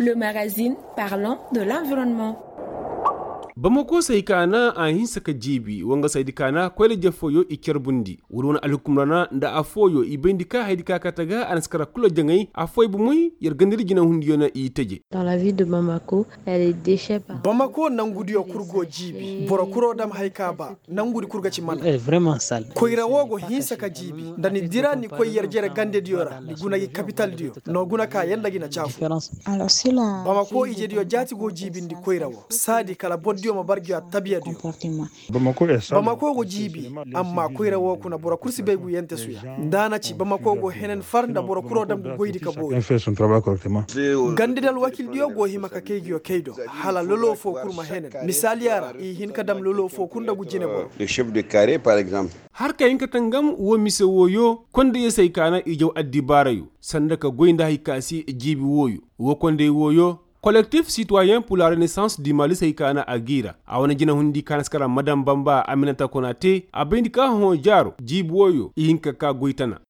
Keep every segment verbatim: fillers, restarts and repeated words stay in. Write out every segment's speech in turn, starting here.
Le magazine parlant de l'environnement. Bamako se hay ka na a hinsa ka jiibi wanga se hay di ka na koyra je fooyo i carbundi wala wane alhukum ra na nda afooyo i bayndi ka hay di ka kate ga a na si kara kula jaŋay afooyo bomey yer gandadi jinahundiyo na i teje. Bamako nangudiyo kul go jiibi boro kuro dam hay ka ba. Nangudi kul ga ci mana. Koyra wo go hinsa ka jiibi nda ni dira ni koy yer jere gandediyo ra ni guna gi kapitaldiyo no guna ka yanda gi na caafu. Bamako ijediyo jaati go jiibindi koyra wo saadi kala bordiyo ma bar gi attaabiya diyo. Bamako go jiibi amma koyra wo kuna boro kul si bay guyante suya. Nda a na ci bamako go henen far nda boro kuro dam ga goydi ka boori. Gandadi alwakildiyo go hima ka kay giyo kay do hala lolo foo kul ma henen. Misaaliya ra i hin ka dam lolo foo kul nda gu jineboro. Har ka hin ka tangam woo mise wooyo kondayo se hay ka na i jaw addibaarayo sanda ka goy nda hay ka se jiibi wooyo. Woo konday wooyo kolektif sitwayen pula renesans di mali se hay ka na a g'i ra a wane jinahundi ka na si kara madam bamba aminata konate a bayndi ka hõ jaaro jiibi wooyo i hin ka kaa goy tana.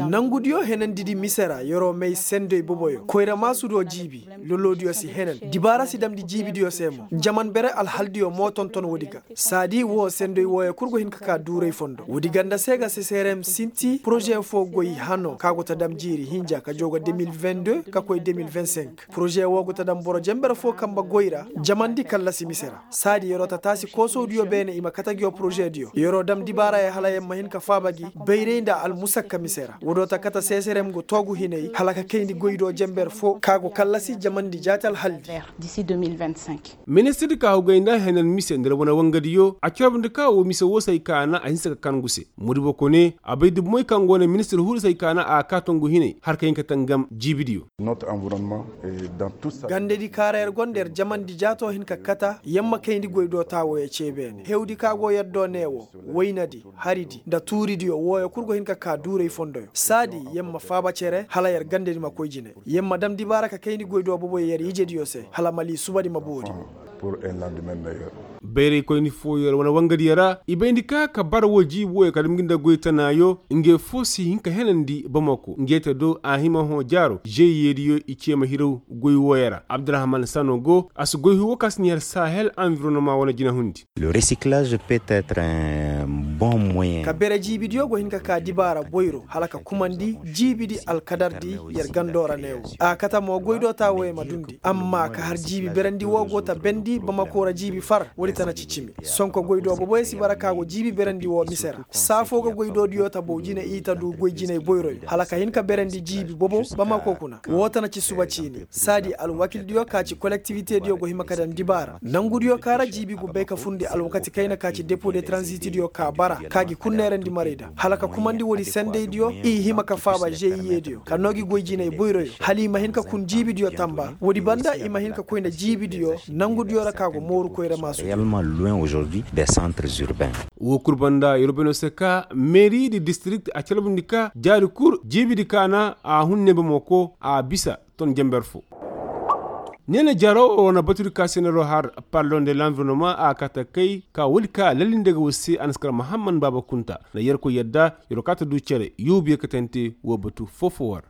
Nangudiyo henandidi mise ra yer'o may sendoy boboyo koyra maasudo jiibi. Lolodiyo si henen dibaara si damndi jiibidiyo se mo jaman bere alhaldiyo mo tonton woodi ga. Saadi woo sendoy wooyo kul go hin ka kaa duuray fondo woodi ganda se ga seserem sinti poroze foo goy hano ka go ta dam jiiri hinja ka joo ga deux mille vingt-deux ka koy deux mille vingt-cinq. Poroze woo go ta dam boro jenber foo kamba goy ra jamandi kallasi mise ra. Saadi yer'o ta taasi koosowdiyo beene i ma kate ngiyo porozediyo yer'o dam dibaarayo hala yer ma hin ka faaba gi bayray nda almusakka mise ra woodiyo ta kate seserem go toogu hinay hala ka kayndi goydo jenber foo ka go kallasi jamandi jaati alhaldi. Ministir ka hugay nda henan mise nda wane wangadiyo a corobndi ka woo mise woo se hay ka na a hinsa ka kangu se. Modibo kone a bay dubumoy kaŋ go na ministir huru se hay ka na a kaa tongu hinay har ka hin ka tangam jiibidiyo. Gandadi kaara yer gonda yer jamandi jaato hin ka kata yer ma kayndi goy do taa wooyo cee beene hewdi ka go yer do nee woo waynadi haridi nda tuuridiyo wooyo kul go hin ka kaa duuray fondoyo saadi yer ma faaba cere hala yer gandadi ma koy jine. Yer ma dam dibaara ka kayndi goy do boboyo yer ijediyo se hala mali subadi ma boori. Bayraykoyni fooyo ra wane wangadiyo ra i bayndi ka ka bara woo jiibi wooyo ka dam ngi nda goy tanaayo. Ngey foo si hin ka henandi bamako ngey te do a hima hõ jaaro žeyiyediyo i cee ma hiraw goy wooyo ra abdurahman sano go a si goy huu woo ka si na yer sahel anvironoma wane jinahundi. Ka bere jiibidiyo go hin ka kaa dibaara boyro hala ka kumandi jiibidi alkadardi yer gando ra neewo. A kate mo goy do taa wooyo ma dundi amma ka har jiibi berandi woo go ta bendi bamako ra jiibi far woodi tana ci cimi. Sonko goy do boboyo si bara ka go jiibi berandi woo mise ra saa foo ga goy do diyo ta bow jine i ta du goy jinay boyroyo hala ka hin ka berandi jiibi bobo bamako kuna. Woo tana ci suba ciini saadi alwakildiyo ka ci kolektivitediyo go hima ka daŋ dibaara nangudiyo ka ra jiibi go bay ka furndi alwakati kayna ka ci depo de taranzitidiyo ka bara ka gi kul neerandi maray da hala ka kumandi woodi sendaydiyo i hima ka faaba žeyiyediyo ka noo gi goy jinay boyroyo hala i ma hin ka kun jiibidiyo tamba woodi banda i ma hin ka koy nda jiibidiyo nangudiyo ra ka go mooru koyra maasu. Woo kul banda yer wo bay no se ka meeri di distrikt a calbundi ka jaari kul jiibidi ka na a hun ne bamako a bisa ton jenber fo. Neena jaaro woo na batudi ka se na yer wo har pardon de lanvironoma a kate kay ka woodi ka lalli nda ga war se a na si kar mahamman baaba kunta nda yerkoy yadda yer wo kaa ta du cere yuubu yer katante woo batu foo-foo war.